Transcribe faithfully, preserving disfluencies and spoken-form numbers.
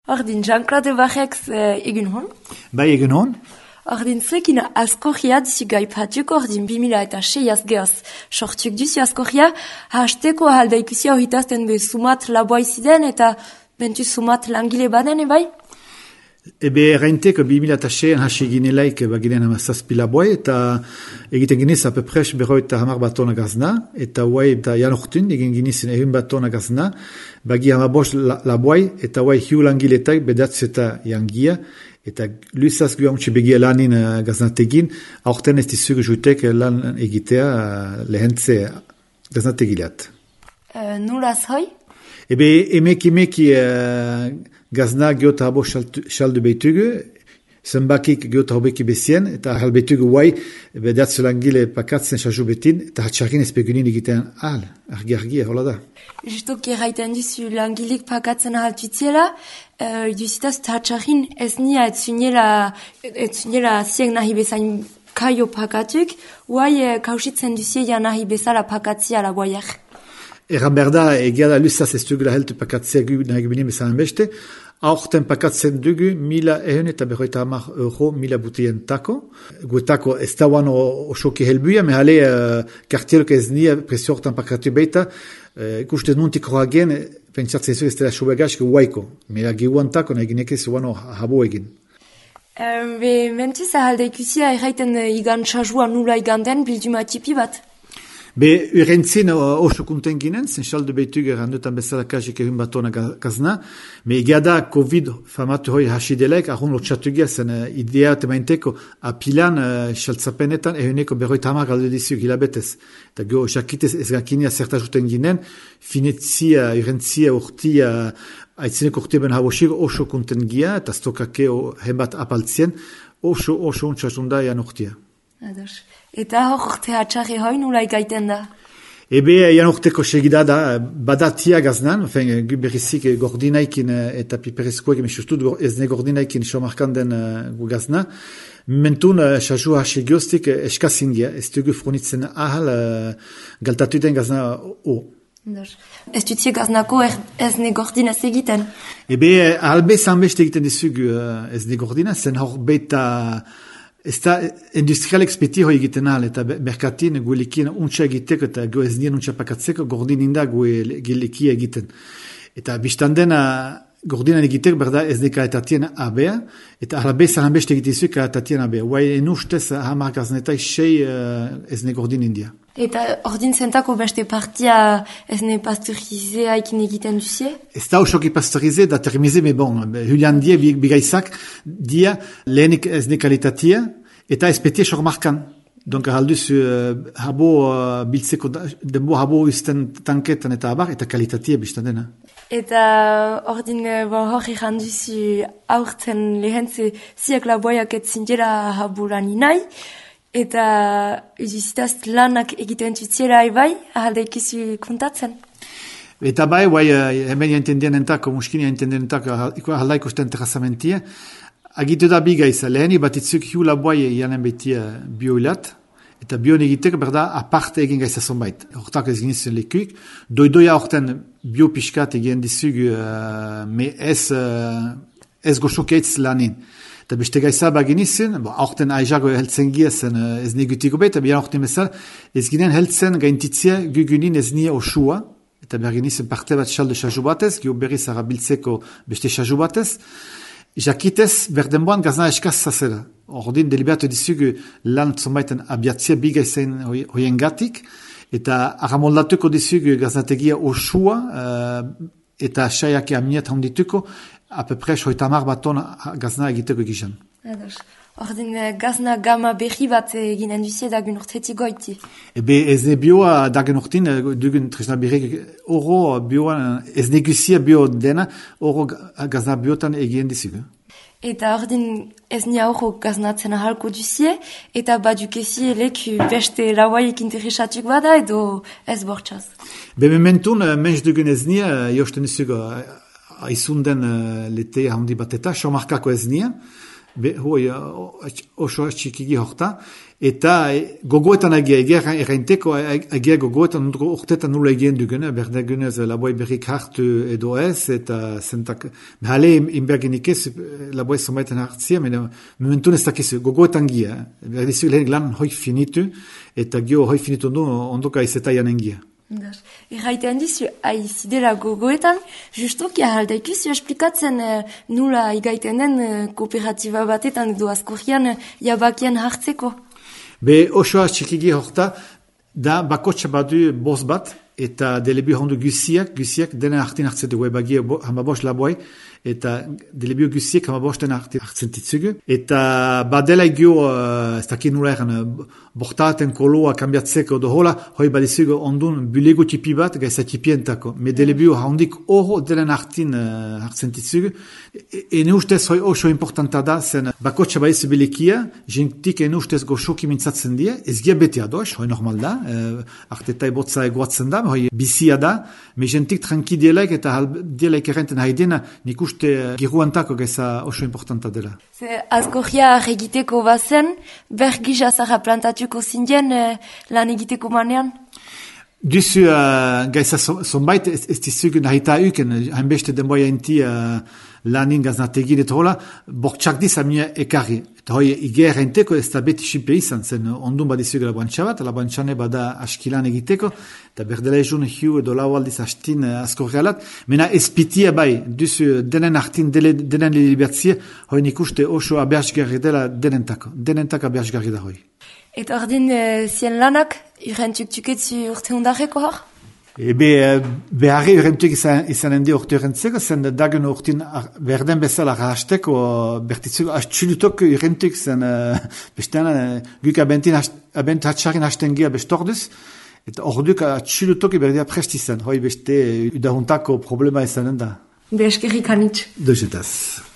Ordin, Jean-Claude Barrek egin hon? Bai, egin hon. Ordin, zekin askorria dizu gaipatuk ordin bimila eta seiaz gehoz. Sortuk duzu askorria, hasteko ahalda ikusia horritazten be sumat laboa iziden eta bentu sumat langile baden, bai? Ebe erraintek bimila eta seian hasi ginelaik baginen amazazpi laboa eta egiten giniz apepres berroita hamar batona gazna eta huai eta janortun egin ginizin egin batona gazna bagi hamabos laboa eta huai hiu langiletak bedatz eta jangia eta luizaz gu hamuntxe begia lanin gaznategin aurten ez dizugu jutek lan egitea lehentze gaznategileat. Uh, Nulaz hoi? Ebe emek emeki uh, gazna geota habo xaldu behitugu, zenbakik geota hobeki bezien, eta ahal behitugu guai, bedatzu langile pakatzen xazu betin, eta hatxarkin ezpegunin egitean ahal, argi-argi, hola da. Justoki erraiten duzu langilik pakatzen ahal tutziela, uh, duzitaz hatxarkin ez nia etzunela ziek nahi bezain kaio pakatuk, guai uh, kausitzen duzie nahi bezala pakatzia la guaiak. Erran behar da, egia da luzaz ez dugula heltu pakatzea gu nahi gubinin bezan beste, aurten pakatzen dugu mila ehun eta berroita hamar euro mila butien tako. Guetako ez da uan osoki helbuia, mehale uh, kartielok ez nia presio hortan pakatu beita, uh, ikustez nuntik horragen, pentsartzen zu ez dela sobegazko guaiko. Mela giuan tako nahi ginekez uan habo egin. Um, be, mentuz ahalda ikusia erraiten uh, igan txazua nula iganden bilduma tipi bat? Be, urentzin oso kunten ginen, zen xaldu behitug errandutan bezala kajik egin batona gazna, me egia da COVID famatu hoi hasi delaik, ahun lotxatugia zen uh, idea temainteko apilan uh, xaltzapenetan ehuneko berroita hamar galdu dizuk hilabetez. Eta geho, jakitez ez gakinia zertajuten ginen, finetzia, urentzia, urtia, aitzineko urte ben habosik oso kunten gia, eta stokake henbat apaltzien, oso, oso untxasunda ean urtia. Ados. Eta hor urte hatxarri hoi nula ikaiten da? Ebe, ean urteko segida da, badatia gaznan, gu berrizik gordinaikin eta piperezkoek, emesustut ez ne gordinaikin somarkan den gu gazna. Mentun, xazu hasi gioztik eskazin gia, ez dugu fronitzen ahal galtatu den gazna o. Ez dutzie gaznako ez ne gordinaz egiten? Ebe, ahalbe zanbeste egiten dizugu ez ne gordinaz, zen hor beta... Ez da industrialek speti hoi egiten ahal, eta merkatin guelikin untsa egiteko eta go ez nien untsa pakatzeko gordin inda guelikia egiten. Eta biztandena gordinan egiteko berda ez ne kaletatien abea, eta alabe zahan beste egitizu kaletatien abea. Guai enustez hamar gaznetai sei ez ne gordin india. Eta ordin zentako beste partia ez ne pasteurizea ekin egiten duzie? Ez da osoki pasteurize da termize, me bon, Julian die bigaizak dia lehenik ez ne kalitatia eta ezpetie sormarkan. Donc ahalduz uh, habo uh, biltzeko denbo habo usten tanketan eta abar eta kalitatia biztandena. Eta ordin bon, hori janduzu aurten lehentze ziak laboiak etzindela habo lani nahi. Eta uzizitaz lanak egiten tutziela bai, ahalda ikizu kontatzen. Eta bai, bai, hemen jaintendien entako, muskini jaintendien entako, ahalda ikusten terrazamentia. Agitu da biga izan, leheni bat itzuk hiu laboai janen betia bioilat, eta bion egitek berda aparte egin gaizazon bait. Hortak ez ginizen lekuik. Doidoia horten biopiskat egin dizugu, uh, me ez, uh, ez goxokeitz lanin. Eta beste gaiza baginizien, aurten aizago heltzen giezen ez negutiko bet, eta bian aurten bezala, ez ginen heltzen gaintitzia gugunin ez nia osua, eta berginizien parte bat xalde xazu batez, gio berriz arabiltzeko beste xazu batez, jakitez berdenboan gazna eskaz zazela. Ordin deliberatu dizugu lan zonbaiten abiatzia biga izain hoien gatik, eta aramoldatuko dizugu gaznategia osua, uh, eta saiake aminet handituko, apepres hoita hamar baton gazna egiteko egizan. Ados. Ordin gazna gama berri bat eginen duzie dagun urtetik goiti. Ebe ez ne bioa dagun urtin, dugun tresna berri oro bioa, ez neguzia bio dena, oro gazna biotan egien dizugu. Eta ordin ez nia oro gaznatzen ahalko duzie, eta badukezi leku beste lauaiek interesatuk bada edo ez bortxaz. Be mementun, menz dugun ez nia, josten dizugu aizunden uh, letea handi bat eta, somarkako ez nia, be, hoi, oso txikigi horta, eta gogoetan agia, egia errainteko, agia gogoetan urtetan nula egien dugune, berdegunez laboi berrik hartu edo ez, eta zentak, behale inberginik ez, laboi zomaiten hartzia, mena, momentun ez dakizu, gogoetan gia, berdizu lehen lan hoi finitu, eta gio hoi finitu ondo, ondoka izeta janen gia. Erraitean dizu, aizidela gogoetan, justuki ahaldaikizu esplikatzen uh, nula igaiten den uh, kooperatiba batetan edo askorrian uh, jabakian hartzeko. Be osoa txikigi horta, da bakotxa badu boz bat, eta delebio hondu guziak, guziak denen hartin hartzen dugu, ebagia hamabos laboai, eta delebio guziak hamabos denen hartzen titzugu, eta badela egio, uh, ez dakit nula egan, bortaten koloa kambiatzeko do hola, hoi badizugu ondun bulego tipi bat, gaisa tipientako, me delebio hondik oro denen hartin uh, hartzen titzugu, ene ustez hoi oso importanta da, zen bakotxa badizu belekia, jentik ene ustez goxoki mintzatzen die, ez gia bete ados, hoi normal da, uh, artetai botza egoatzen da, hoi bizia da, me jentik tranki dielaik eta dielaik errenten haidena, nik uste giruantako gaisa oso importanta dela. Ze askorria egiteko bazen, bergiz azarra plantatuko zindien eh, lan egiteko manean? Duzu uh, gaisa zonbait ez, ez dizugu nahita uken, hainbeste denboia inti uh, lanin gaznategin eta hola, bortxak diz amia ekarri. Eta hoi iger enteko ez da beti xipe izan zen, ondun badizugu laboantxa bat, laboantxane bada askilan egiteko, eta berdela ezun hiu edo lau aldiz hastin uh, askorrialat, mena ezpitia bai, duzu denen hartin dele, denen libertzie, hoi nik uste oso abertsgarri dela denentako, denentako abertsgarri da hoi. Eta ordin uh, zien lanak, urrentuk tuketzu urte hundarreko hor? Ebe, beharri urrentuk izan, izan endi urte urrentzeko, zen dagen urtin berden bezala rahasteko, bertitzuko, astxulutok urrentuk zen, uh, bestean, uh, guk abentin, abent hatxarin hasten gira bestorduz, eta orduk atxulutok berdia prest izan, hoi beste udahuntako problema izanen da. Be eskerrik anitz. Dozetaz.